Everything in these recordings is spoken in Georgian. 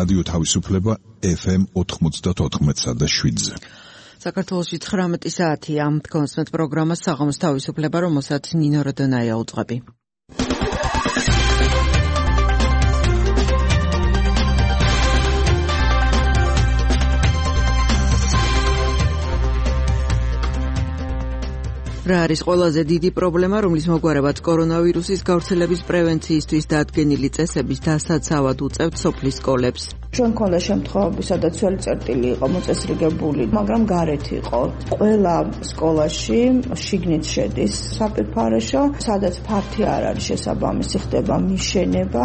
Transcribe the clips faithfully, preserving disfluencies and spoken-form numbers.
რადიო თავისუფლება ეფ ემ ოთხმოცდაოთხ და შვიდზე. საქართველოში ცხრამეტი საათია. გონსმეთ პროგრამას საღამოს თავისუფლება, რომელსაც ნინო როდონაია უძღვები. რა არის ყველაზე დიდი პრობლემა, რომლის მოგვარებაც კორონავირუსის გავრცელების პრევენციისთვის დადგენილი წესების დასაცავად უწევთ სოფლის სკოლებს. ჩვენ ქონდა შემთხვევები, სადაც ძველი წერტილი იყო მოწესრიგებული, მაგრამ გარეთ იყო. ყველა სკოლაში შიგნით შედის საფირფარეშო, სადაც ფართი არ არის შესაბამისი, ხდება მიშენება.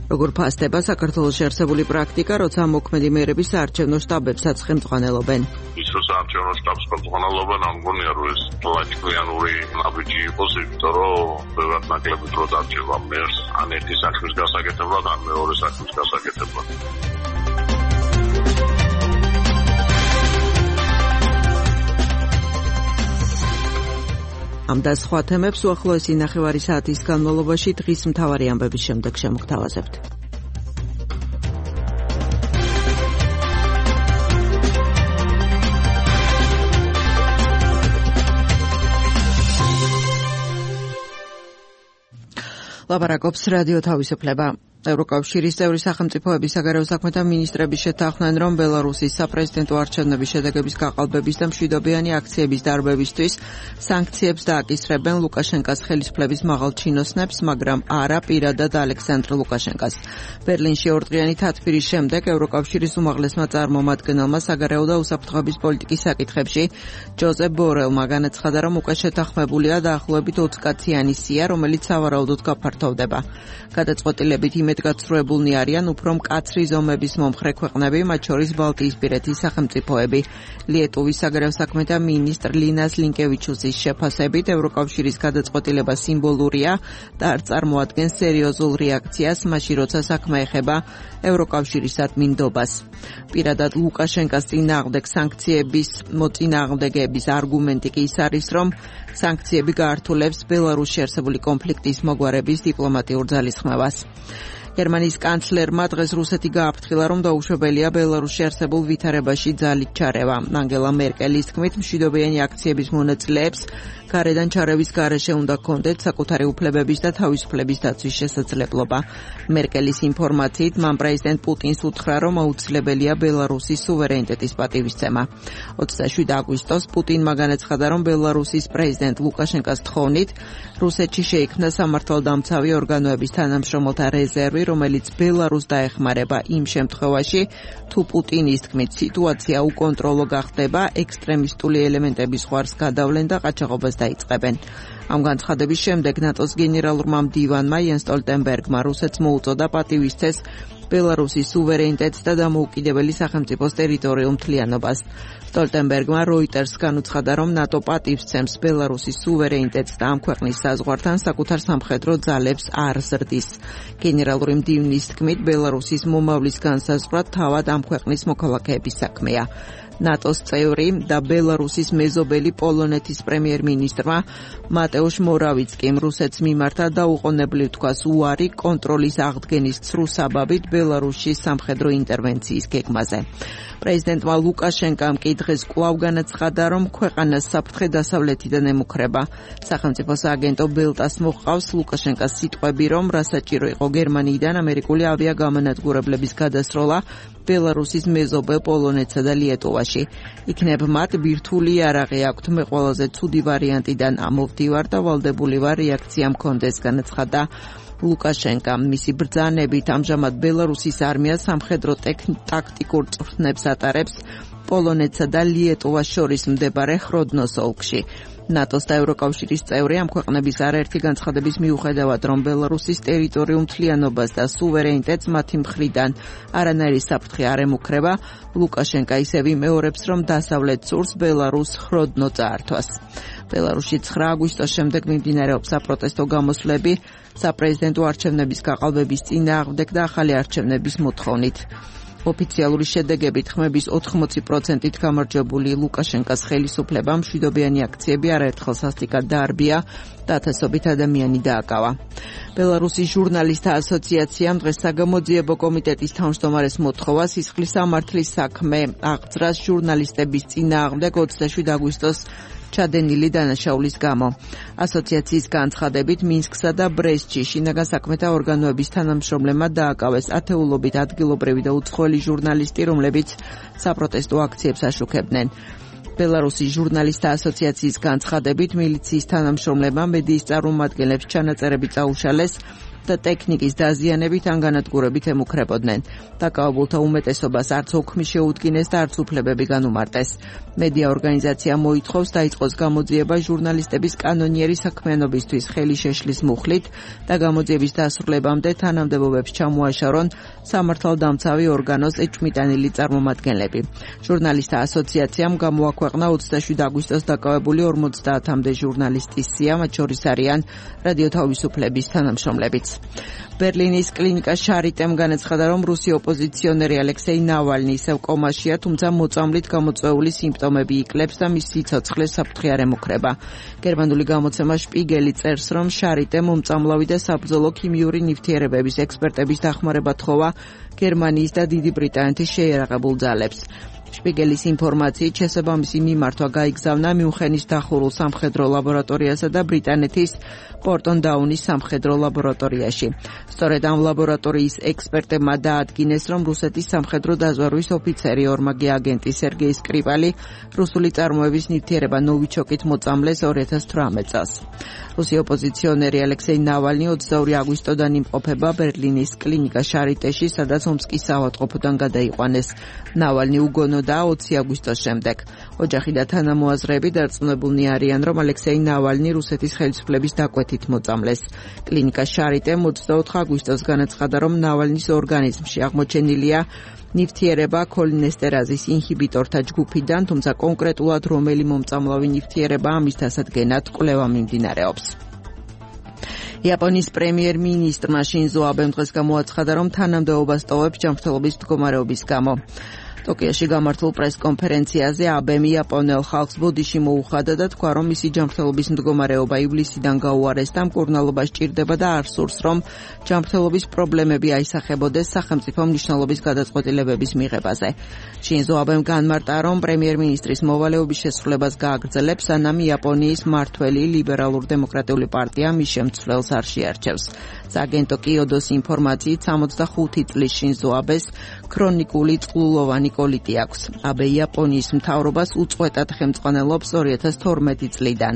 როგორ ფასდება საქართველოში არსებული პრაქტიკა, როცა მოქმედი მერების საარჩევნო შტაბებსაც ხელმძღვანელობენ? ის რომ საარჩევნო შტაბს ხელმძღვანელობენ, ამ გონია რომ ეს ლაჭკვიანური ნაბიჯი იყოს, იმიტომ რომ ბევრად ნაკლები დრო დარჩება მერს, ან ერთი საქმის გასაკეთებლად, ან მეორე საქმის გასაკეთებლად. ამ და სხვა თემებს უახლოესი ნახევარი საათის განმავლობაში დღის მთავარი ამბების შემდეგ შემოგთავაზებთ. ლაპარაკობს რადიო თავისუფლება. ევროკავშირის წევრი სახელმწიფოების საგარეო საქმეთა მინისტრები შეთანხმდნენ, რომ ბელარუსის საპრეზიდენტო არჩევნების შედეგების გაყალბების და მშვიდობიანი აქციების დარბევისთვის სანქციებს დააკისრებენ ლუკაშენკას ხელისუფლების მაღალ ჩინოსნებს, მაგრამ არა პირადად ალექსანდრ ლუკაშენკას. ბერლინში ორდღიანი თათბირის შემდეგ ევროკავშირის უმაღლესმა წარმომადგენელმა საგარეო და უსაფრთხოების პოლიტიკის საკითხებში ჯოზეფ ბორელმა განაცხადა, რომ უკვე შეთანხმებულია დაახლოებით ოცკაციანი სია, რომელიც სავარაუდოდ გაფართოვდება. გადაწყვეტილებით იმედგაცრუებულნი არიან უფრო მკაცრი ზომების მომხრე ქვეყნები, მათ შორის ბალტიისპირეთის სახელმწიფოები. ლიეტუვის საგარეო საქმეთა მინისტრ ლინას ლინკევიჩუსის შეფასებით, ევროკავშირის გადაწყვეტილება სიმბოლურია და არ წარმოადგენს სერიოზულ რეაქციას, მაშინ როცა საქმე ეხება ევროკავშირის ადმინდობას. პირადად ლუკაშენკას წინააღმდეგ სანქციების მოწინააღმდეგეების არგუმენტი კი ის არის, რომ სანქციები გაართულებს ბელარუსში არსებული კონფლიქტის მოგვარების დიპლომატიურ ძალისხმევას. გერმანიის კანცლერმა დღეს რუსეთი გააფრთხილა, რომ დაუშვებელია ბელარუსში არსებულ ვითარებაში ძალით ჩარევა. ანგელა მერკელის თქმით, მშვიდობიანი აქციების მონაწილეებს გარედან ჩარევის გარეშე უნდა ჰქონდეთ საკუთარი უფლებების და თავისუფლების დაცვის შესაძლებლობა. მერკელის ინფორმაციით, მან პრეზიდენტ პუტინს უთხრა, რომ აუცილებელია ბელარუსის სუვერენიტეტის პატივისცემა. ოცდაშვიდი აგვისტოს პუტინმა განაცხადა, რომ ბელარუსის პრეზიდენტ ლუკაშენკას თხოვნით რუსეთში შეიქმნა სამართალდამცავი ორგანოების თანამშრომელთა რეზერვი, რომელიც ბელარუსს დაეხმარება იმ შემთხვევაში, თუ პუტინის თქმით სიტუაცია უკონტროლო გახდება, ექსტრემისტული ელემენტების ზღვარს გადავლენ და ყაჩაღობას დაიწყებენ. ამ განცხადების შემდეგ ნატოს გენერალურმა მდივანმა იენს სტოლტენბერგმა რუსეთს მოუწოდა პატივისცეს ბელარუსის სუვერენიტეტს და დამოუკიდებელი სახელმწიფოს ტერიტორიულ მთლიანობას. სტოლტენბერგმა როიტერსგან უცხადა, რომ ნატო პატივისცემს ბელარუსის სუვერენიტეტს და ამ ქვეყნის საზღვართან საკუთარ სამხედრო ძალებს არ ზრდის. გენერალური მდივნის თქმით, ბელარუსის მომავლის განსაზღვრა თავად ამ ქვეყნის მოქალაქეების საქმეა. ნატოს წევრი და ბელარუსის მეზობელი პოლონეთის პრემიერ-მინისტრმა მატეუშ მორავიცკიმ რუსეთს მიმართა დაუყოვნებლივ თქვას უარი კონტროლის აღდგენის ცრუ საბაბით ბელარუსში სამხედრო ინტერვენციის გეგმაზე. პრეზიდენტმა ლუკაშენკამ კი დღეს კვლავ განაცხადა, რომ ქვეყანას საფრთხე დასავლეთიდან ემუქრება. სახელმწიფო სააგენტო ბელტას მოჰყავს ლუკაშენკას სიტყვები, რომ რასაჭირო იყო გერმანიიდან ამერიკული ავიაგამონადგურებლების გადასროლა ბელარუსის მეზობელ პოლონეთსა და ლიეტუვაში. იქნებ მათ ბირთვული იარაღი აქვთ, მე ყველაზე ცუდი ვარიანტიდან ამოვდივარ და ვალდებული ვარ რეაქცია მქონდეს, განაცხადა ლუკაშენკა. მისი ბრძანებით ამჟამად ბელარუსის არმია სამხედრო ტაქტიკურ წვრთნებს ატარებს პოლონეთსა და ლიეტუვას შორის მდებარე ხროდნოს ოლქში. ნატოს და ევროკავშირის წევრი ამ ქვეყნების არაერთი განცხადების მიუხედავად, რომ ბელარუსის ტერიტორიულ მთლიანობას და სუვერენიტეტს მათი მხრიდან არანაირი საფრთხე არ ემუქრება, ლუკაშენკა ისევ იმეორებს, რომ დასავლეთ სურს ბელარუსს ხროდნო წაართვას. ბელარუსში ცხრა აგვისტოს შემდეგ მიმდინარეობს საპროტესტო გამოსვლები საპრეზიდენტო არჩევნების გაყალბების წინააღმდეგ და ახალი არჩევნების მოთხოვნით. ოფიციალური შედეგებით ხმების ოთხმოცი პროცენტით გამარჯვებული ლუკაშენკას ხელისუფლებამ მშვიდობიანი აქციები არაერთხელ სასტიკად დაარბია და ათასობით ადამიანი დააკავა. ბელარუსის ჟურნალისტთა ასოციაციამ დღეს საგამოძიებო კომიტეტის თავმჯდომარეს მოთხოვა სისხლის სამართლის საქმე აღძრას ჟურნალისტების წინააღმდეგ ოცდაშვიდ აგვისტოს ჩადენილი დანაშაულის გამო. ასოციაციის განცხადებით მინსკსა და ბრესტში შინაგან საქმეთა ორგანოების თანამშრომლებმა დააკავეს ათეულობით ადგილობრივი და უცხოელი ჟურნალისტი, რომლებიც საპროტესტო აქციებს აშუქებდნენ. ბელარუსის ჟურნალისტთა ასოციაციის განცხადებით მილიციის თანამშრომლებმა მედიის წარმომადგენლებს ჩანაწერები წაუშალეს და ტექნიკის დაზიანებით ან განადგურებით ემუქრებოდნენ. დაკავებულთა უმეტესობას არც ოქმი შეუდგინეს და არც უფლებები განუმარტეს. მედია ორგანიზაცია მოითხოვს დაიწყოს გამოძიება ჟურნალისტების კანონიერი საქმიანობისთვის ხელი შეშლის მუხლით და გამოძიების დასრულებამდე თანამდებობებს ჩამოაშორონ სამართალდამცავი ორგანოს ეჭვმიტანილი წარმომადგენლები. ჟურნალისტთა ასოციაციამ გამოაქვეყნა ოცდაშვიდ აგვისტოს დაკავებული ორმოცდაათამდე ჟურნალისტის სია, მათ შორის არიან რადიო თავისუფლების თანამშრომლებიც. ბერლინის კლინიკა შარიტემ განაცხადა, რომ რუსი ოპოზიციონერი ალექსეი ნავალნი ისევ კომაშია, თუმცა მოწამვლით გამოწვეული სიმპტომები იკლებს და მის სიცოცხლეს საფრთხე არ ემუქრება. გერმანული გამოცემა შპიგელი წერს, რომ შარიტემ მომწამლავი და საბრძოლო ქიმიური ნივთიერებების ექსპერტების დახმარება თხოვა გერმანიის და დიდი ბრიტანეთის შეიარაღებულ ძალებს. შპიგელის ინფორმაციით შესაბამისი მიმართვა გაიგზავნა მიუნხენის დახურულ სამხედრო ლაბორატორიასა და ბრიტანეთის პორტონ დაუნის სამხედრო ლაბორატორიაში. სწორედ ამ ლაბორატორიის ექსპერტებმა დაადგინეს, რომ რუსეთის სამხედრო დაზვერვის ოფიცერი ორმაგი აგენტი სერგეი სკრიპალი რუსული წარმოების ნივთიერება ნოვიჩოკით მოწამლეს ორი ათას თვრამეტ წელს. რუსი ოპოზიციონერი ალექსეი ნავალნი ოცდაორი აგვისტოდან იმყოფება ბერლინის კლინიკა შარიტეში, სადაც ომსკის საავადმყოფოდან გადაიყვანეს. ნავალნი უგონოდაა ოცი აგვისტოს შემდეგ. ოჯახი და თანამოაზრეები დარწმუნებულნი არიან, რომ ალექსეი ნავალნი რუსეთის ხელისუფლების დაკვეთით მოწამლეს. კლინიკა შარიტემ ოცდაოთხ აგვისტოს განაცხადა, რომ ნავალნის ორგანიზმში აღმოჩენილია ნივთიერება ქოლინესტერაზის ინჰიბიტორთა ჯგუფიდან, თუმცა კონკრეტულად რომელი მომწამლავი ნივთიერება ამის დასადგენად კვლევა მიმდინარეობს. იაპონიის პრემიერ-მინისტრმა შინზო აბემ დღეს გამოაცხადა, რომ თანამდებობას ტოვებს ჯანმრთელობის მდგომარეობის გამო. ტოკიოში გამართულ პრეს-კონფერენციაზე აბემ იაპონელ ხალხს ბოდიში მოუხადა და თქვა, რომ მისი ჯანმრთელობის მდგომარეობა ივლისიდან გაუარეს და მკურნალობა სჭირდება და არ სურს, რომ ჯანმრთელობის პრობლემები აისახებოდეს სახელმწიფო მნიშვნელობის გადაწყვეტილებების მიღებაზე. შინზო აბემ განმარტა, რომ პრემიერ-მინისტრის მოვალეობის შესრულებას გააგრძელებს, სანამ იაპონიის მმართველი ლიბერალურ-დემოკრატიული პარტია მის შემცვლელს არ შეარჩევს. სააგენტო კიოდოს ინფორმაციით სამოცდახუთი წლის შინზო აბეს ქრონიკული წყლულოვანი კოლიტი აქვს. აბე იაპონიის მთავრობას უწყვეტად ხელმძღვანელობს ორი ათას თორმეტი წლიდან.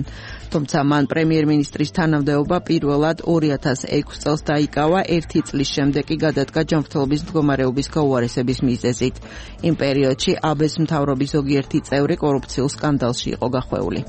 თუმცა მან პრემიერ-მინისტრის თანამდებობა პირველად ორი ათას ექვსი წელს დაიკავა, ერთი წლის შემდეგ კი გადადგა ჯანმრთელობის მდგომარეობის გაუარესების მიზეზით. იმ პერიოდში აბეს მთავრობის ზოგიერთი წევრი კორუფციულ სკანდალში იყო გახვეული.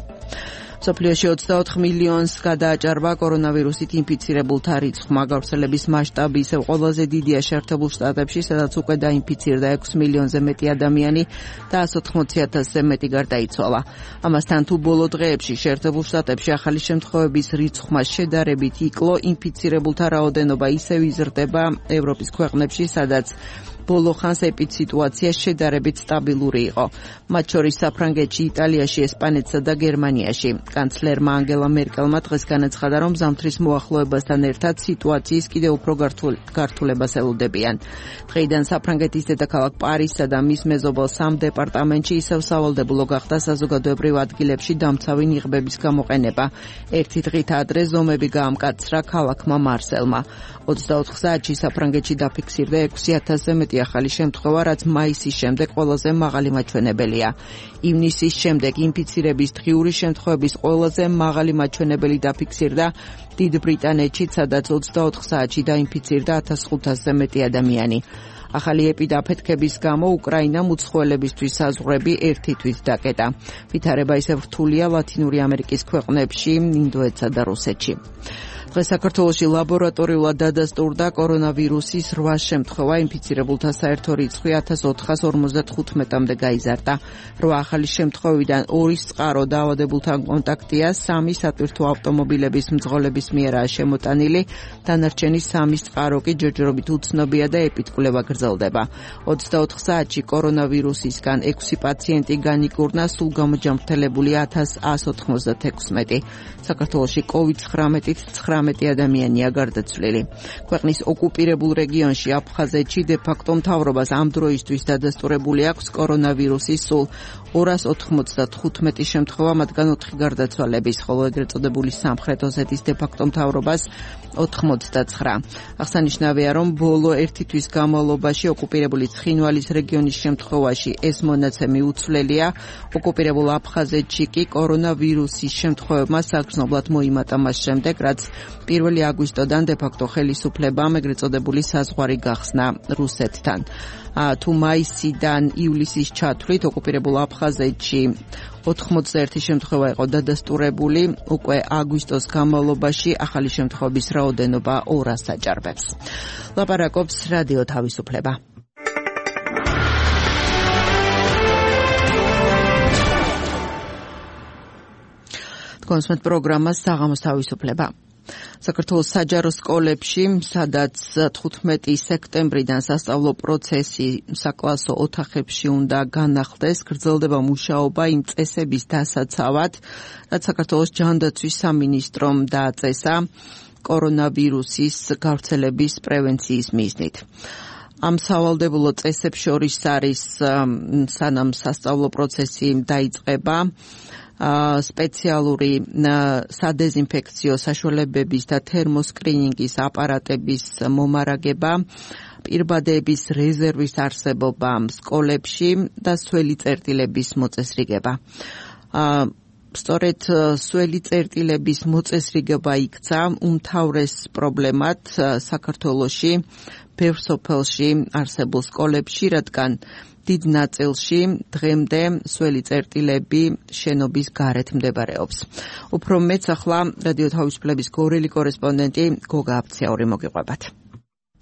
სოფლიოში ოცდაოთხ მილიონს გადააჭარბა კორონავირუსით ინფიცირებულთა რიცხვმა. გავრცელების მასშტაბი ისევ ყველაზე დიდია შეერთებულ შტატებში, სადაც უკვე დაინფიცირდა ექვს მილიონზე მეტი ადამიანი და εκατს ოთხმოცი ათასზე მეტი გარდაიცვალა. ამასთან თუ ბოლო დღეებში შეერთებულ შტატებში ახალი შემთხვევების რიცხვმა შედარებით იკლო, ინფიცირებულთა რაოდენობა ისევ იზრდება ევროპის ქვეყნებში, სადაც ბოლო ხანს ეპიდსიტუაცია შედარებით სტაბილური იყო. მათ შორის საფრანგეთში, იტალიაში, ესპანეთსა და გერმანიაში. კანცლერმა ანგელა მერკელმა დღეს განაცხადა, რომ ზამთრის მოახლოებასთან ერთად სიტუაციის კიდევ უფრო გართულებას ელოდებიან. დღეიდან საფრანგეთის დედაქალაქ პარიზსა და მის მეზობელ სამ დეპარტამენტში ისევ სავალდებულო გახდა საზოგადოებრივ ადგილებში დამცავი ნიღბების გამოყენება. ერთი დღით ადრე ზომები გაამკაცრა ქალაქმა მარსელმა. ოცდაოთხ საათში საფრანგეთში დაფიქსირდა ექვსი ათასზე მეტი ახალი შემთხვევა, რაც მაისის შემდეგ ყველაზე მაღალი მაჩვენებელია. ივნისის შემდეგ ინფიცირების დღიური შემთხვევების ყველაზე მაღალი მაჩვენებელი დაფიქსირდა დიდ ბრიტანეთში, სადაც ოცდაოთხ საათში დაინფიცირდა ათას ხუთასზე მეტი ადამიანი. ახალი ეპიდაფეთქების გამო უკრაინამ უცხოელებისთვის საზღვრები ერთი თვით დაკეტა. ვითარება ისევ რთულია ლათინური ამერიკის ქვეყნებში, ინდოეთსა და რუსეთში. დღეს საქართველოში ლაბორატორიულად დადასტურდა კორონავირუსის რვა შემთხვევა, ინფიცირებულთა საერთო რიცხვი ათას ოთხას ორმოცდათხუთმეტამდე გაიზარდა. რვა ახალი შემთხვევიდან ორის წყარო დაავადებულთან კონტაქტია, სამი სატვირთო ავტომობილების მძღოლების მიერაა შემოტანილი, დანარჩენი სამის წყარო კი ჯერჯერობით უცნობია და ეპიდკვლევა გრძელდება. გრძელდება. ოცდაოთხ საათში კორონავირუსისგან ექვსი პაციენტი განიკურნა, სულ გამოჯანმრთელებული ათას ათს ოთხმოცდათექვსმეტი. საქართველოში კოვიდ ცხრამეტით ცხრამეტი ადამიანია გარდაცვლილი. ქვეყნის ოკუპირებულ რეგიონში აფხაზეთში დე-ფაქტო მთავრობას ამ დროისთვის დადასტურებული აქვს კორონავირუსის სულ ორას ოთხმოცდათხუთმეტი შემთხვევა, მათგან ოთხი გარდაცვალების, ხოლო ეგრეთ წოდებული სამხრეთ ოსეთის დე-ფაქტო მთავრობას ოთხმოცდაცხრა. აღსანიშნავია, რომ ბოლო ერთი თვის განმავლობაში ოკუპირებული ცხინვალის რეგიონის შემთხვევაში ეს მონაცემი უცვლელია. ოკუპირებულ აფხაზეთში კი კორონავირუსის შემთხვევებმა საგრძნობლად მოიმატა მას შემდეგ, რაც პირველი აგვისტოდან დე-ფაქტო ხელისუფლებამ ეგრეთ წოდებული საზღვარი გახსნა რუსეთთან. თუ მაისიდან ივლისის ჩათვლით ოკუპირებულ აფხაზეთში ოთხმოცდაერთი შემთხვევა იყო დადასტურებული, უკვე აგვისტოს განმავლობაში ახალი შემთხვევების რაოდენობა ორას აჭარბებს. ლაპარაკობს რადიო თავისუფლება. კონსმეთ პროგრამა საღამოს თავისუფლება. საქართველოს საჯარო სკოლებში, სადაც თხუთმეტი სექტემბრიდან სასწავლო პროცესი საკლასო ოთახებში უნდა განახლდეს, გრძელდება მუშაობა იმ წესების დასაცავად, რაც საქართველოს ჯანდაცვის სამინისტრომ დააწესა კორონავირუსის გავრცელების პრევენციის მიზნით. ამ სავალდებულო წესებს შორის არის, სანამ სასწავლო პროცესი დაიწყება, სპეციალური სადეზინფექციო საშუალებების და თერმოსკრინინგის აპარატების მომარაგება, პირბადეების რეზერვის არსებობა სკოლებში და სველი წერტილების მოწესრიგება. სწორედ სველი წერტილების მოწესრიგება იქცა უმთავრეს პრობლემად საქართველოში, ბევრ სოფელში არსებულ სკოლებში, რადგან დიდ ნაწილში დღემდე სველი წერტილები შენობის გარეთ მდებარეობს. უფრო მეც ახლა რადიო თავისუფლების გორელი კორესპონდენტი გოგა აფციაური მოგიყვებათ.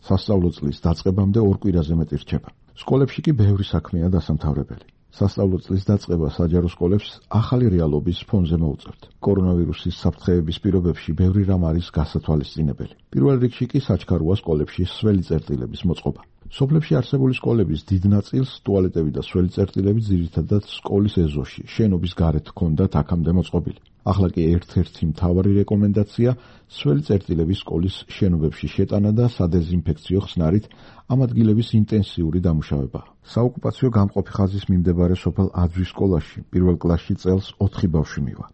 სასწავლო წლის დაწყებამდე ორ კვირაზე მეტი რჩება. სკოლებში კი ბევრი საქმეა დასამთავრებელი. სასწავლო წლის დაწყება საჯარო სკოლებს ახალი რეალობის ფონზე მოუწევთ. კორონავირუსის საფრთხეების პირობებში ბევრი რამ არის გასათვალისწინებელი. პირველ რიგში კი საჩქაროა სკოლებში სველი წერტილების მოწყობა. სოფლებში არსებული სკოლების დიდ ნაწილს ტუალეტები და სველი წერტილები ძირითადად სკოლის ეზოში, შენობის გარეთ ჰქონდათ აქამდე მოწყობილი. ახლა კი ერთ-ერთი მთავარი რეკომენდაცია სველი წერტილების სკოლის შენობებში შეტანა და სადეზინფექციო ხსნარით ამ ადგილების ინტენსიური დამუშავება. საოკუპაციო გამყოფი ხაზის მიმდებარე სოფელ აძვის სკოლაში პირველ კლასში წელს ოთხი ბავშვი მივა.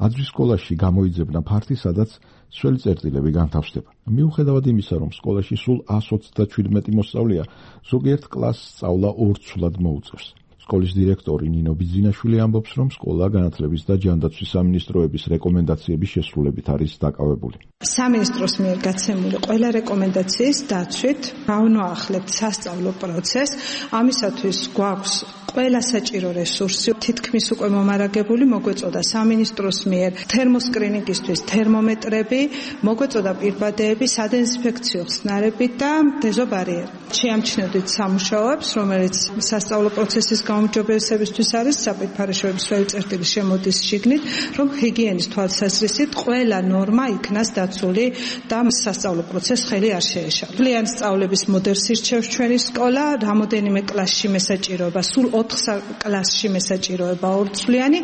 აძვის სკოლაში გამოიძებნა ფართი, სადაც სველი წერტილები განთავსდება. მიუხედავად იმისა, რომ სკოლაში სულ ას ოცდაჩვიდმეტი მოსწავლეა, ზოგიერთ კლასს სწავლა ორცულად მოუწევს. სკოლის დირექტორი ნინო ბიძინაშვილი ამბობს, რომ სკოლა განათლების და ჯანდაცვის სამინისტროების რეკომენდაციების შესრულებით არის დაკავებული. სამინისტროს მიერ გაცემული ყველა რეკომენდაციის დაცვით გავნოახლებთ სასწავლო პროცესს. ამისათვის გვაქვს ყველა საჭირო რესურსი, თითქმის უკვე მომარაგებული, მოგვეწოდა სამინისტროს მიერ თერმოსკრინინგისთვის თერმომეტრები, მოგვეწოდა პირბადეები, სადეზინფექციო ხსნარები და დეზობარიერი. შეამჩნევდით სამუშაოებს, რომელიც სასწავლო პროცესის გაუმჯობესებისთვის არის საპირფარეშოების სველი წერტილის შემოდის შიგნით, რომ ჰიგიენის თვალსაზრისით ყველა ნორმა იქნას დაცული და სასწავლო პროცესს ხელი არ შეეშალოს. მთლიანი სწავლების მოდელს ირჩევს ჩვენი სკოლა, რამოდენიმე კლასში მესაჭიროება, სულ ოთხ კლასში მესაჭიროება ორცვლიანი,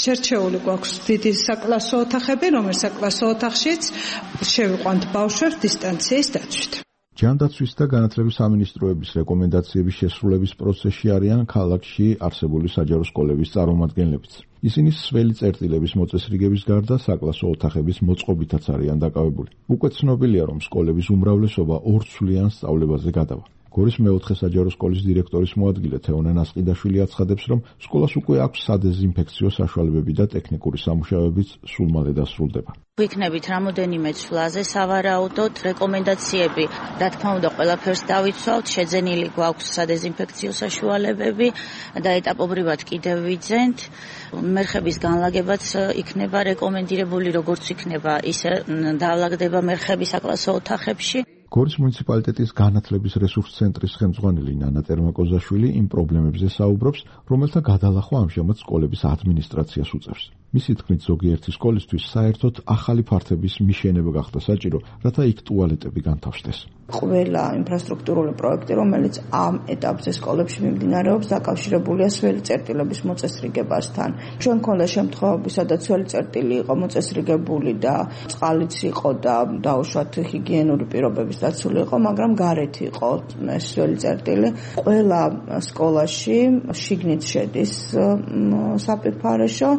შერჩეული გვაქვს დიდი საკლასო ოთახები, რომელიც საკლასო ოთახშიც შევიყვანთ ბავშვებს დისტანციის დაცვით. ჯანდაცვის და განათლების სამინისტროების რეკომენდაციების შესრულების პროცესში არიან ქალაქში არსებული საჯარო სკოლების წარმომადგენლებიც. ისინი სველი წერტილების მოწესრიგების გარდა საკლასო ოთახების მოწყობითაც არიან დაკავებული. უკვე ცნობილია, რომ სკოლების უმრავლესობა ორცვლიან სწავლებაზე გადავა. გორის მეოთხე საჯარო სკოლის დირექტორის მოადგილე თეონე ნასყიდაშვილი აცხადებს, რომ სკოლას უკვე აქვს სადეზინფექციო საშუალებები და ტექნიკური სამუშაოებიც სულ მალე დასრულდება. ვიქნებით რამოდენიმე ცვლაზე სავარაუდოდ რეკომენდაციები, რა თქმა უნდა, ყველაფერს დავიცვავთ, შეძენილი გვაქვს სადეზინფექციო საშუალებები და ეტაპობრივად კიდევ ვიძენთ. მერხების განლაგებაც იქნება რეკომენდირებული, როგორც იქნება, ისე დაალაგდება მერხები საკლასო ოთახებში. გორის მუნიციპალიტეტის განათლების რესურს ცენტრის ხელმძღვანელი ნანა ტერმაკოზაშვილი იმ პრობლემებზე საუბრობს, რომელთა გადალახვა ამჟამად სკოლების ადმინისტრაციას უწევს. მისი თქმით, ზოგიერთი სკოლისთვის საერთოდ ახალი ფართების მიშენება გახდა საჭირო, რათა იქ ტუალეტები განთავსდეს. ყველა ინფრასტრუქტურული პროექტი, რომელიც ამ ეტაპზე სკოლებში მიმდინარეობს, დაკავშირებულია სველი წერტილების მოწესრიგებასთან. ჩვენ მქონდა შემთხვევები, სადაც სველი წერტილი იყო მოწესრიგებული და წყალიც იყო და დაუშვათ ჰიგიენური პირობების დაცული იყო, მაგრამ გარეთ იყო ეს სველი წერტილი. ყველა სკოლაში შიგნით შედის საპირფარეშო,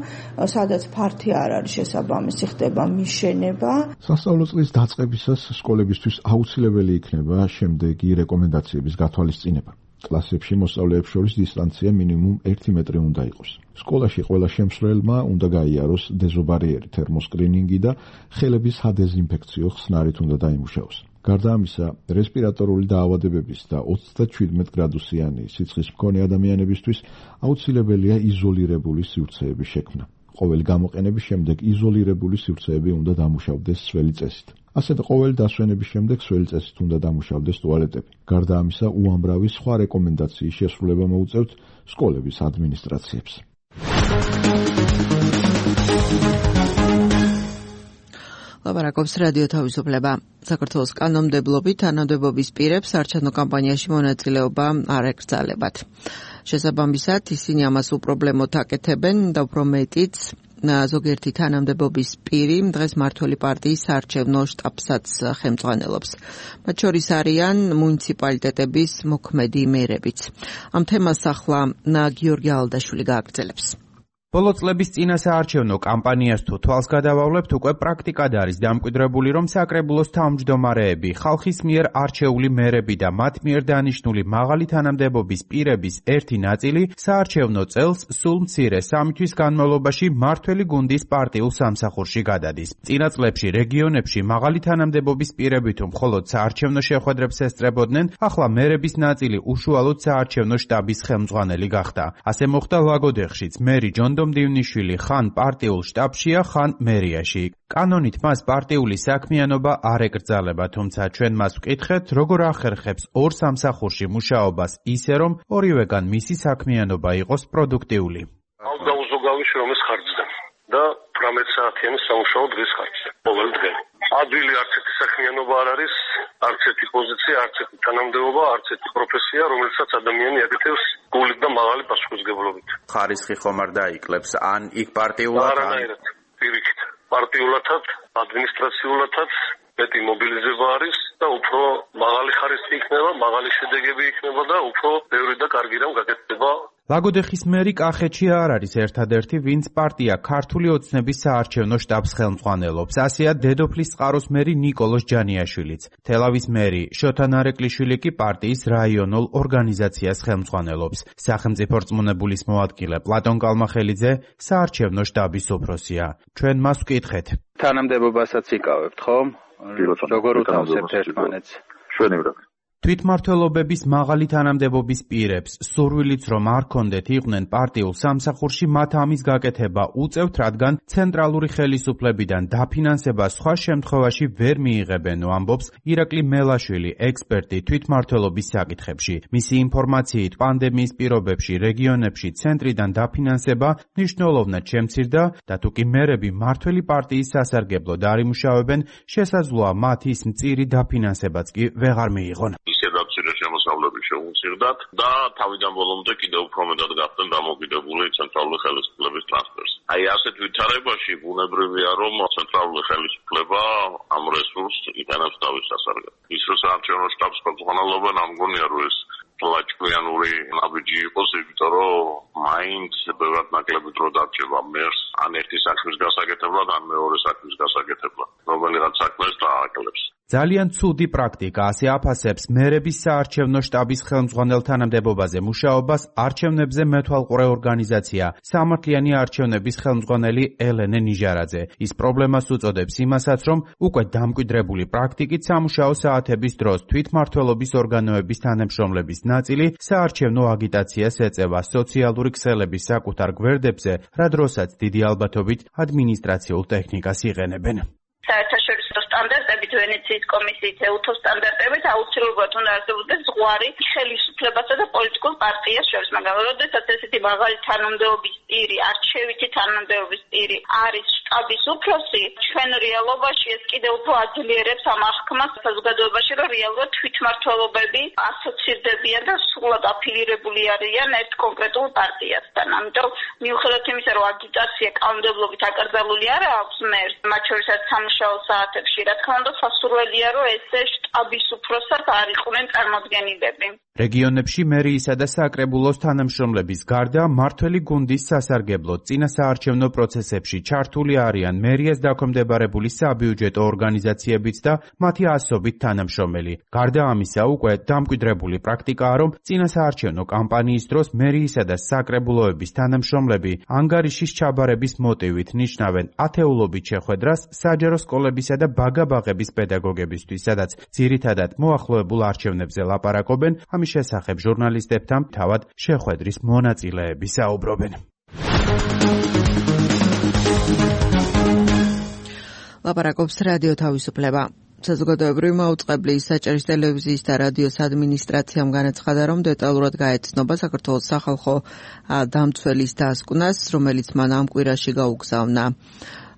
სადაც ფართი არ არის შესაბამისი, ხდება მიშენება. სასწავლო წლის დაწყებისას სკოლებისთვის აუცილებელი იქნება შემდეგი რეკომენდაციების გათვალისწინება. კლასებში მოსწავლეებს შორის დისტანცია მინიმუმ ერთი მეტრი უნდა იყოს. სკოლაში ყველა შემსვლელმა უნდა გაიაროს დეზობარიერი თერმოსკრინინგი და ხელების სადეზინფექციო ხსნარით უნდა დაიმუშაოს. გარდა ამისა, რესპირატორული დაავადებების და ოცდაშვიდმეტ გრადუსიანი სიცხის მქონე ადამიანებისთვის აუცილებელია იზოლირებული სივრცეების შექმნა. ყოველი გამოყენების შემდეგ იზოლირებული სივრცეები უნდა დამუშავდეს სველი წესით. ასეთ ყოველი დასვენების შემდეგ სველი წესით უნდა დამუშავდეს ტუალეტები. გარდა ამისა, უამრავი სხვა რეკომენდაციის შესრულება მოუწევთ სკოლების ადმინისტრაციებს. ლაპარაკობს რადიო თავისუფლება. საქართველოს კანონმდებლობით თანამდებობის პირებს არჩევნო კამპანიაში მონაწილეობა არ ეკრძალებათ. შესაბამისად, ისინი ამას უპრობლემოდ აკეთებენ და უფრო მეტიც ზოგიერთი თანამდებობის პირი დღეს მმართველი პარტიის საარჩევნო შტაბსაც ხელმძღვანელობს. მათ შორის არიან მუნიციპალიტეტების მოქმედი მერებიც. ამ თემას ახლა გიორგი ალდაშვილი გააგრძელებს. ბოლო წლების წინა საარჩევნო კამპანიას თუ თვალს გადავავლებთ, უკვე პრაქტიკად არის დამკვიდრებული, რომ საკრებულოს თავმჯდომარეები, ხალხის მიერ არჩეული მერები და მათ მიერ დანიშნული მაღალი თანამდებობის პირების ერთი ნაწილი საარჩევნო წელს სულ მცირე სამი თვის განმავლობაში მმართველი გუნდის პარტიულ სამსახურში გადადის. წინა წლებში რეგიონებში მაღალი თანამდებობის პირები თუ მხოლოდ საარჩევნო შეხვედრებს ესწრებოდნენ, ახლა მერების ნაწილი უშუალოდ საარჩევნო შტაბის ხელმძღვანელი გახდა. ასე მოხდა ლაგოდეხშიც. მერი ჯონ დიმდივნიშვილი ხან პარტიულ შტაბშია, ხან მერიაში. კანონით მას პარტიული საქმიანობა არ ეკრძალება, თუმცა ჩვენ მას ვკითხეთ, როგორ ახერხებს ორ სამსახურში მუშაობას ისე, რომ ორივეგან მისი საქმიანობა იყოს პროდუქტიული. დაუზოგავი შრომის ხარჯზე და ათმეტ საათიანი სამუშაო დღის ხარჯზე. ყოველ დღე. ადვილი არც ერთი საქმიანობა არ არის, არც ერთი პოზიცია, არც ერთი თანამდებობა, არც ერთი პროფესია, რომელსაც ადამიანი აკეთებს გულით და მაღალი პასუხისმგებლობით. ხარისხი ხომ არ დაიკლებს, ან იქ პარტიულად, ან პირიქით. პარტიულათაც, ადმინისტრაციულათაც მეტი მობილიზება არის და უფრო მაღალი ხარისხი იქნება, მაღალი შედეგები იქნება და უფრო ბევრი და კარგი რამ გაკეთდება. ლაგოდეხის მერი კახეთში არ არის ერთადერთი, ვინც პარტია ქართული ოცნების საარჩევნო შტაბს ხელმძღვანელობს. ასეა დედოფლის წყაროს მერი ნიკოლოზ ჯანიაშვილიც. თელავის მერი შოთა ნარეკვლიშვილი კი პარტიის რაიონულ ორგანიზაციას ხელმძღვანელობს. სახელმწიფო რწმუნებულის მოადგილე პლატონ კალმახელიძე საარჩევნო შტაბის უფროსია. ჩვენ მას ვკითხეთ. თანამდებობასაც იკავებთ, ხო? როგორ უთავსებთ ერთმანეთს? შვენივრად. თვითმმართველობების მაღალი თანამდებობის პირებს სურვილიც რომ არ კონდეთ იყვნენ პარტიულ სამსახურში, მათ ამის გაკეთება უწევთ, რადგან ცენტრალური ხელისუფლებიდან დაფინანსება სხვა შემთხვევაში ვერ მიიღებენ, ამბობს ირაკლი მელაშვილი, ექსპერტი თვითმმართველობის საკითხებში. მისი ინფორმაციით, პანდემიის პირობებში რეგიონებში ცენტრიდან დაფინანსება მნიშვნელოვნად შემცირდა და თუ კი მერები მმართველი პარტიის სასარგებლოდ არ იმუშავებენ, შესაძლოა მათ ის მწირი დაფინანსებაც კი ვეღარ მიიღონ. ისედაც მცირე შემოსავლები შეუცირდათ და თავიდან ბოლომდე კიდევ უფრო მეტად გახდნენ დამოკიდებული ცენტრალური ხელისუფლების ტრანსფერს. აი ასეთ ვითარებაში ბუნებრივია, რომ ცენტრალური ხელისუფლება ამ რესურსს იტანებს თავის სასარგებლოდ. ის რომ საარჩევნო შტაბს ხელმძღვანელობენ, ამ გონია რომ ეს ლაჭკვიანური ნაბიჯი იყოს, იმიტომ რომ მაინც ბევრად ნაკლები დრო დარჩება მერს, ან ერთი საქმის გასაკეთებლად, ან მეორე საქმის გასაკეთებლად, რომელიღაც საქმეს დააკლებს. ძალიან ცუდი პრაქტიკა, ასე აფასებს მერების საარჩევნო შტაბის ხელმძღვანელ თანამდებობაზე მუშაობას არჩევნებზე მეთვალყურე ორგანიზაცია სამართლიანი არჩევნების ხელმძღვანელი ელენე ნიჟარაძე. ის პრობლემას უწოდებს იმასაც, რომ უკვე დამკვიდრებული პრაქტიკით სამუშაო საათების დროს თვითმმართველობის ორგანოების თანამშრომლების ნაწილი საარჩევნო აგიტაციას ეწევა სოციალური ქსელების საკუთარ გვერდებზე, რა დროსაც დიდი ალბათობით ადმინისტრაციულ ტექნიკას იყენებენ. საერთაშორისო სტანდარტებით, ვენეციის კომისიის ეუთო სტანდარტებით აუცილებლად უნდა არსებობდეს უარი ხელისუფლებასა და პოლიტიკურ პარტიას შორის, მაგრამ როდესაც ესეთი მაღალი თანამდებობის პირი, არჩევითი თანამდებობის პირი არის შტაბის უფროსი, ჩვენ რეალობაში ეს კიდევ უფრო აძლიერებს ამ აღქმას საზოგადოებაში, რომ რეალურად თვითმმართველობები ასოცირდებიან და სრულად აფილირებული არიან ერთ კონკრეტულ პარტიასთან. ამიტომ მიუხედავად იმისა, რომ აგიტაცია კანონმდებლობით აკრძალული არ აქვს მერს, მათ შორისაც სამუშაო საათებში, რა თქმა უნდა, სასურველია, რომ ესე შტაბის უფროსად არ იყვნენ წარმოდგენილები. რეგიონებში მერიისა და საკრებულოს თანამშრომლების გარდა მმართველი გუნდის სასარგებლო წინასაარჩევნო პროცესებში ჩართული არიან მერიას დაქვემდებარებული საბიუჯეტო ორგანიზაციებიც და მათი ასობით თანამშრომელი. გარდა ამისა, უკვე დამკვიდრებული პრაქტიკაა, რომ წინასაარჩევნო კამპანიის დროს მერიისა და საკრებულოების თანამშრომლები ანგარიშის ჩაბარების მოტივით ნიშნავენ ათეულობით შეხვედრას საჯარო სკოლებისა და ბაგა-ბაღების პედაგოგებისთვის, სადაც ძირითადად მოახლოებულ არჩევნებზე ლაპარაკობენ. ამის შესახებ ჟურნალისტებთან თავად შეხვედრის მონაწილეები საუბრობენ. ლაპარაკობს რადიო თავისუფლება. საზოგადოებრივი მაუწყებლის საჭირის ტელევიზიის და რადიოს ადმინისტრაციამ განაცხადა, რომ დეტალურად გაეცნობა საქართველოს სახალხო დამცველის დასკვნას, რომელიც მან ამ კვირაში გაუგზავნა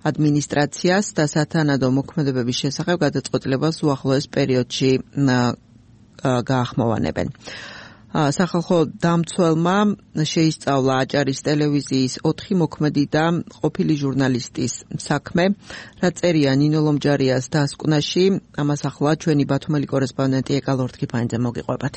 ადმინისტრაციას და სათანადო მოქმედებების შესახებ გადაწყვეტილებას უახლოეს პერიოდში გაახმოვანებენ. სახალხო დამცველმა შეისწავლა აჭარის ტელევიზიის ოთხი მოქმედი და ყოფილი ჟურნალისტის საქმე, რაც წერია ნინო ლომჯარიას დასკვნაში. ამას ახლა ჩვენი ბათუმელი კორესპონდენტი ეკა ლორთქიფანიძე მოგიყვებათ.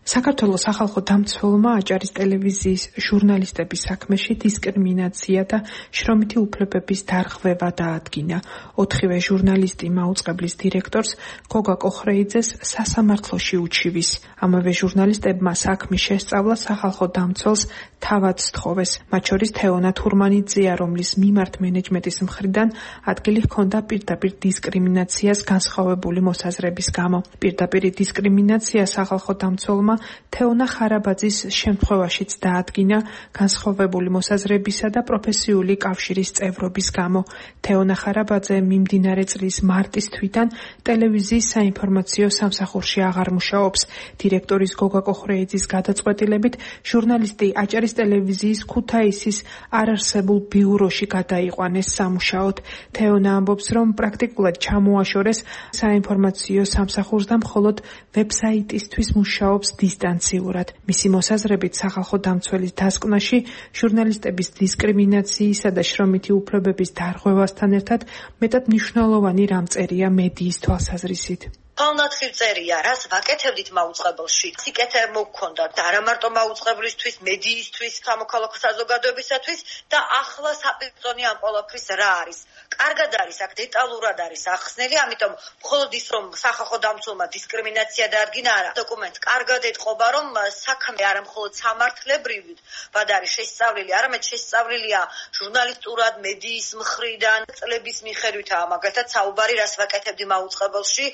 საქართველოს სახალხო დამცველმა აჭარის ტელევიზიის ჟურნალისტების საქმეში დისკრიმინაცია და შრომითი უფლებების დარღვევა დაადგინა. ოთხივე ჟურნალისტი მაუწყებლის დირექტორს გოგა კოხრეიძეს სასამართლოში უჩივის. ამავე ჟურნალისტებმა საქმის შესწავლა სახალხო დამცველს თავად სთხოვეს. მათ შორის თეონა თურმანიძეა, რომლის მიმართ მენეჯმენტის მხრიდან ადგილი ჰქონდა პირდაპირ დისკრიმინაციას განსხვავებული მოსაზრების გამო. პირდაპირი დისკრიმინაცია სახალხო დამცველმა თეონა ხარაბაძის შემთხვევაშიც დაადგინა განსხვავებული მოსაზრებისა და პროფესიული კავშირის წევრობის გამო. თეონა ხარაბაძე მიმდინარე წლის მარტის თვიდან ტელევიზიის საინფორმაციო სამსახურში აღარ მუშაობს. დირექტორის გოგა კოხრეიძის გადაწყვეტილებით ჟურნალისტი აჭარის ტელევიზიის ქუთაისის არარსებულ ბიუროში გადაიყვანეს სამუშაოდ. თეონა ამბობს, რომ პრაქტიკულად ჩამოაშორეს საინფორმაციო სამსახურს და მხოლოდ ვებსაიტისთვის მუშაობს დისტანციურად. მისი მოსაზრებით სახალხო დამცველის დასკვნაში ჟურნალისტების დისკრიმინაციისა და შრომითი უფლებების დარღვევასთან ერთად მეტად მნიშვნელოვანი რამ წერია მედიის თვალსაზრისით. Palnatxil წერია, რას ვაკეთებდით მაუწყებელში. სიკეთე მოგქონდა და არა მარტო მაუწყებლისთვის, მედიისთვის, სამოქალაქო საზოგადოებისათვის და ახლა საპირწონე ამ ყველაფრის რა არის. კარგად არის, აქ დეტალურად არის ახსნელი, ამიტომ მხოლოდ ის რომ სახალხო დამცველმა დისკრიმინაცია დაადგინა არა. დოკუმენტს კარგად ეთყობა, რომ საქმე არა მხოლოდ სამართლებრივად, ბად არის შესწავლილი, არამედ შესწავლილია ჟურნალისტურად, მედიის მხრიდან, წლების მიხედვითაა მაგალითად საუბარი, რას ვაკეთებდი მაუწყებელში.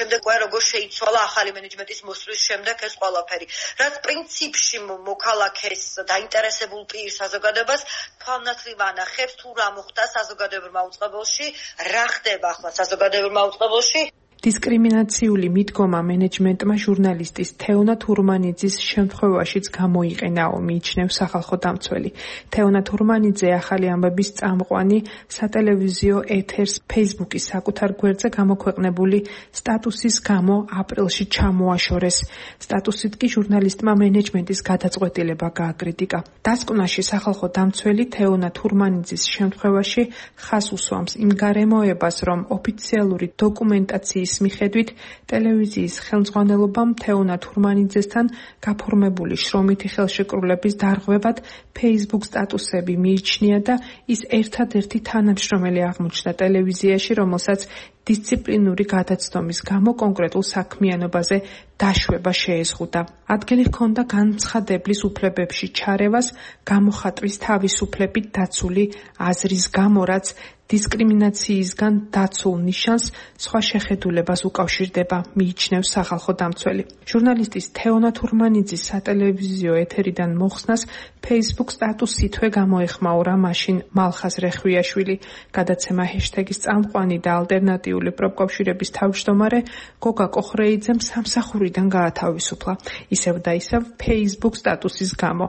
შემდეგ უკვე როგორ შეიცვალა ახალი მენეჯმენტის მოსვლის შემდეგ ეს ყველაფერი. რაც პრინციპში მოქალაქეს დაინტერესებულ პირ საზოგადოებას თვალნათლივ ანახებს თუ რა მოხდა საზოგადოებრივ მაუწყებელში, რა ხდება ახლა საზოგადოებრივ მაუწყებელში. დისკრიმინაციული მიდგომა მენეჯმენტმა ჟურნალისტის თეონა თურმანიძის შემთხვევაშიც გამოიყენაო, მიიჩნევს სახალხო დამცველი. თეონა თურმანიძე ახალი ამბების წამყვანი სატელევიზიო ეთერს ფეისბუქის საკუთარ გვერდზე გამოქვეყნებული სტატუსის გამო აპრილში ჩამოაშორეს. სტატუსით კი ჟურნალისტმა მენეჯმენტის გადაწყვეტილება გააკრიტიკა. დასკვნაში სახალხო დამცველი თეონა თურმანიძის შემთხვევაში ხაზს უსვამს იმ გარემოებას, რომ ოფიციალური დოკუმენტაციის მიხედვით ტელევიზიის ხელმძღვანელობამ თეონა თურმანიძესთან გაფორმებული შრომითი ხელშეკრულების დარღვევად Facebook სტატუსები მიიჩნია და ის ერთადერთი თანამშრომელი აღმოჩნდა ტელევიზიაში, რომელსაც დისციპლინური გადაცდომის გამო კონკრეტულ საქმიანობაზე დაშვება შეეზღუდა. ადგილი ჰქონდა განცხადებლის უფლებებში ჩარევას, გამოხატვის თავისუფლებით დაცული აზრის გამო, რაც დისკრიმინაციისგან დაცულ ნიშანს სხვა შეხედულებას უკავშირდება, მიიჩნევს სახალხო დამცველი. ჟურნალისტის თეონა თურმანიძის სატელევიზიო ეთერიდან მოხსნას Facebook სტატუსითვე გამოეხმაურა მაშინ მალხაზ რეხვიაშვილი. გადაცემა ჰეშტეგის წამყვანი და ალტერნატიული პროფკავშირების თავმჯდომარე გოგა კოხრეიძემ სამსახურიდან გაათავისუფლა. ისევ და ისევ Facebook სტატუსის გამო.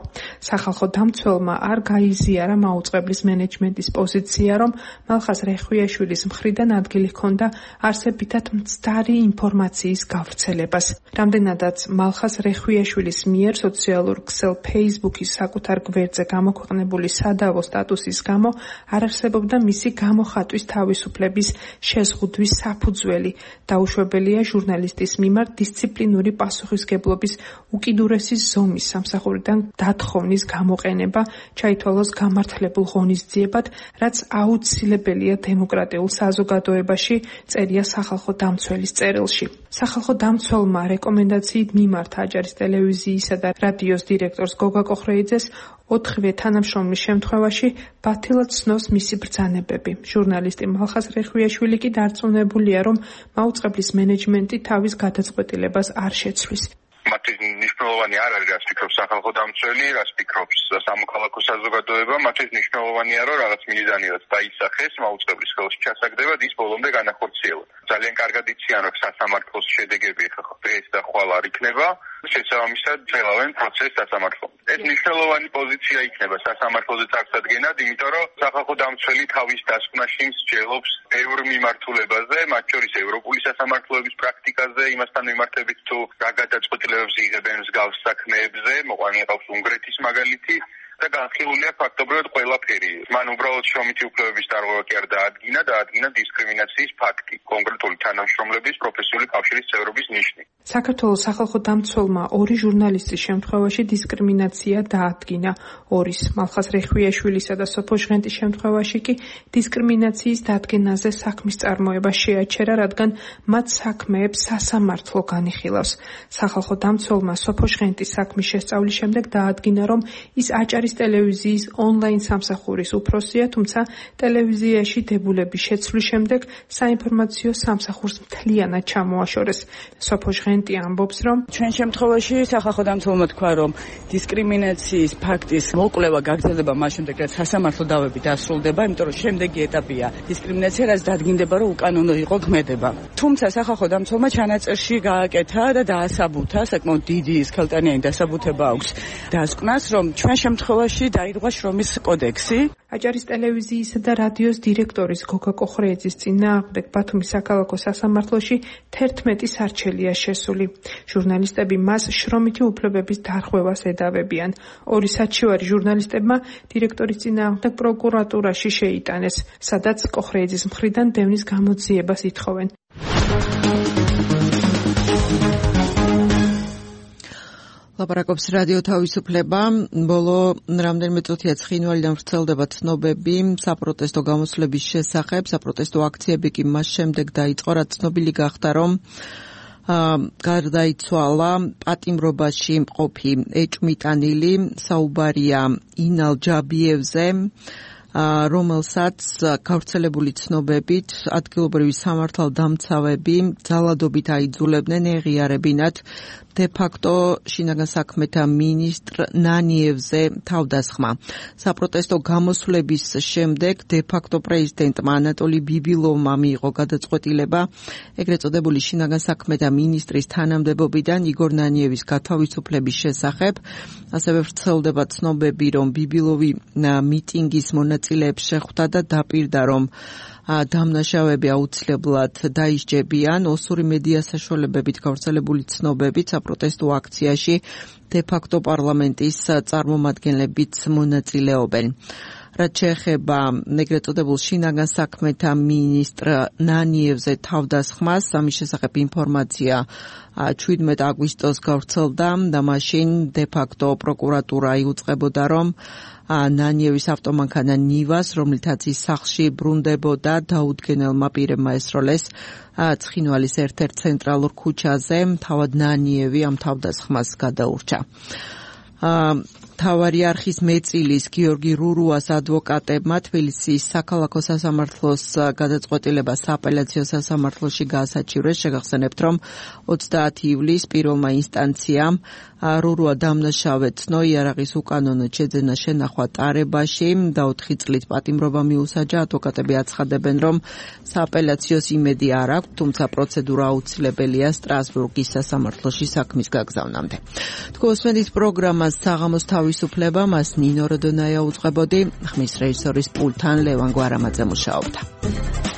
სახალხო დამცველმა არ გაიზიარა მაუწყებლის მენეჯმენტის პოზიცია, რომ მალხაზ რეხვიაშვილის მხრიდან ადგილი ჰქონდა არსებითად მცდარი ინფორმაციის გავრცელებას. რამდენადაც მალხაზ რეხვიაშვილის მიერ სოციალურ ქსელ Facebook-ის საკუთარ გვერდზე გამოქვეყნებული სადავო სტატუსის გამო არ არსებობდა მისი გამოხატვის თავისუფლების შეზღუდვის საფუძველი. დაუშვებელია ჟურნალისტის მიმართ დისციპლინური პასუხისგებლობის უკიდურესი ზომის სამსახურიდან დათხოვნის გამოყენება, ჩაითვალოს გამართლებულ ღონისძიებად, რაც აუცილებელია დემოკრატიულ საზოგადოებაში, წერია სახალხო დამცველის წერილში. სახალხო დამცველმა რეკომენდაციით მიმართა აჭარის ტელევიზიისა და რადიოს დირექტორს გოგა კოხრეიძეს ოთხივე თანამშრომლის შემთხვევაში ბათილად ცნობს მისი ბრძანებები. ჟურნალისტი მალხაზ რეხვიაშვილი კი დარწმუნებულია, რომ მაუწყებლის მენეჯმენტი თავის გადაწყვეტილებას არ შეცვლის. მათი მნიშვნელოვანი არ არის, რაც ფიქრობს სახალხო დამცველი, რაც ფიქრობს სამოქალაქო საზოგადოება, მათთვის მნიშვნელოვანია, რომ რაღაც მიზანიაც დაისახეს მაუწყებლის ხელში ჩასაგდება და ის ბოლომდე განახორციელოს. ძალიან კარგად იციან, რომ სასამართლოს შედეგები დღეს და ხვალ არ იქნება, შესაბამისად ძლევენ პროცესს სასამართლომ. ეს მნიშვნელოვანი პოზიცია იქნება სასამართლოზე წარსადგენად, იმიტომ რომ სახალხო დამცველი თავის დასკვნაში მსჯელობს ბევრ მიმართულებაზე, მათ შორის ევროპული სასამართლოების პრაქტიკაზე, იმასთან მიმართებით თუ რა გადაწყვეტილებებს იღებენ მსგავს საქმეებზე, მოყვანილი ყავს უნგრეთის მაგალითი და განხილულია ფაქტობრივად ყველაფერი. მან უბრალოდ შრომითი უფლებების დარღვევა კი არ დაადგინა, დაადგინა დისკრიმინაციის ფაქტი, კონკრეტული თანამშრომლების პროფესიული კავშირის წევრობის ნიშნით. საქართველოს სახალხო დამცველმა ორი ჟურნალისტის შემთხვევაში დისკრიმინაცია დაადგინა. ორის მალხაზ რეხვიაშვილისა და სოფო ჟღენტის შემთხვევაში კი დისკრიმინაციის დადგენაზე საქმის წარმოება შეაჩერა, რადგან მათ საქმეებს სასამართლო განიხილავს. სახალხო დამცველმა სოფო ჟღენტის საქმის შესწავლის შემდეგ დაადგინა, რომ ის აჭარის ტელევიზიის ონლაინ სამსახურის უფროსია, თუმცა ტელევიზიაში დებულების შეცვლის შემდეგ საინფორმაციო სამსახურს მთლიანად ჩამოაშორეს. სოფო ჟღენტი ამბობს, რომ ჩვენ შემთხვევაში სახალხო დამცველმა თქვა, რომ დისკრიმინაციის ფაქტის მოკვლევა გაგრძელდება მას შემდეგ, რაც სასამართლო დავები დასრულდება, იმიტომ რომ შემდეგი ეტაპია დისკრიმინაცია, რაც დადგინდება, რომ უკანონო იყო ქმედება. თუმცა სახალხო დამცველმა ჩანაწერში გააკეთა და დაასაბუთა, საკმაოდ დიდი სქელტანიანი დასაბუთება აქვს დასკვნას, რომ ჩვენ შემთხვევაში დაირღვა შრომის კოდექსი. აჭარის ტელევიზიისა და რადიოს დირექტორის გოგა კოხრეიძის წინააღმდეგ ბათუმის საქალაქო სასამართლოში თერთმეტი სარჩელია შესული. ჟურნალისტები მას შრომითი უფლებების დარღვევას ედავებიან. ორი საჩივარი ჟურნალისტებმა დირექტორის წინააღმდეგ პროკურატურაში შეიტანეს, სადაც კოხრეიძის მხრიდან დევნის გამოძიებას ითხოვენ. ლაპარაკობს რადიო თავისუფლება. ბოლო რამდენიმე წუთია ცხინვალიდან ვრცელდება ცნობები საპროტესტო გამოსვლების შესახებ. საპროტესტო აქციები კი მას შემდეგ დაიწყო, რაც ცნობილი გახდა, რომ გარდაიცვალა პატიმრობაში მყოფი ეჭვმიტანილი, საუბარია ინალ ჯაბიევზე, რომელსაც გავრცელებული ცნობებით ადგილობრივი სამართალდამცავები ძალადობით აიძულებდნენ ეღიარებინათ დე-ფაქტო შინაგან საქმეთა მინისტრ ნანიევზე თავდასხმა. საპროტესტო გამოსვლების შემდეგ დე-ფაქტო პრეზიდენტმა ანატოლი ბიბილოვმა მიიღო გადაწყვეტილება ეგრეთ წოდებული შინაგან საქმეთა მინისტრის თანამდებობიდან იგორ ნანიევის გათავისუფლების შესახებ. ასევე ვრცელდება ცნობები, რომ ბიბილოვი მიტინგის მონაწილეებს შეხვდა და დაპირდა, რომ დამნაშავეები აუცილებლად დაისჯებიან. ოსური მედია საშუალებებით გავრცელებული ცნობებით საპროტესტო აქციაში დე-ფაქტო პარლამენტის წარმომადგენლებიც მონაწილეობენ. რაც შეეხება ეგრეთ წოდებულ შინაგან საქმეთა მინისტრ ნანიევზე თავდასხმას, ამის შესახებ ინფორმაცია შვიდმეტი აგვისტოს გავრცელდა და მაშინ დე-ფაქტო პროკურატურა იუწყებოდა, რომ ნანიევის ავტომანქანა ნივას, რომლითაც ის სახლში ბრუნდებოდა, დაუდგენელმა პირებმა ესროლეს ცხინვალის ერთ-ერთ ცენტრალურ ქუჩაზე. თავად ნანიევი ამ თავდასხმას გადაურჩა. მთავარი არხის მეწილის გიორგი რურუას ადვოკატებმა თბილისის საქალაქო სასამართლოს გადაწყვეტილება სააპელაციო სასამართლოში გაასაჩივრეს. შეგახსენებთ, რომ ოცდაათი ივლისს პირველმა ინსტანციამ რურუა დამნაშავედ ცნო იარაღის უკანონოდ შეძენა შენახვა ტარებაში და ოთხი წლით პატიმრობა მიუსაჯა. ადვოკატები აცხადებენ, რომ სააპელაციოს იმედი არ აქვს, თუმცა პროცედურა აუცილებელია სტრასბურგის სასამართლოში საქმის გაგზავნამდე. თქვენ უსმენთ პროგრამას საღამოს თავისუფლება, მას ნინო როდონაია უწყებოდი, ხმის რეჟისორის პულტთან ლევან გვარამაძე მუშაობდა.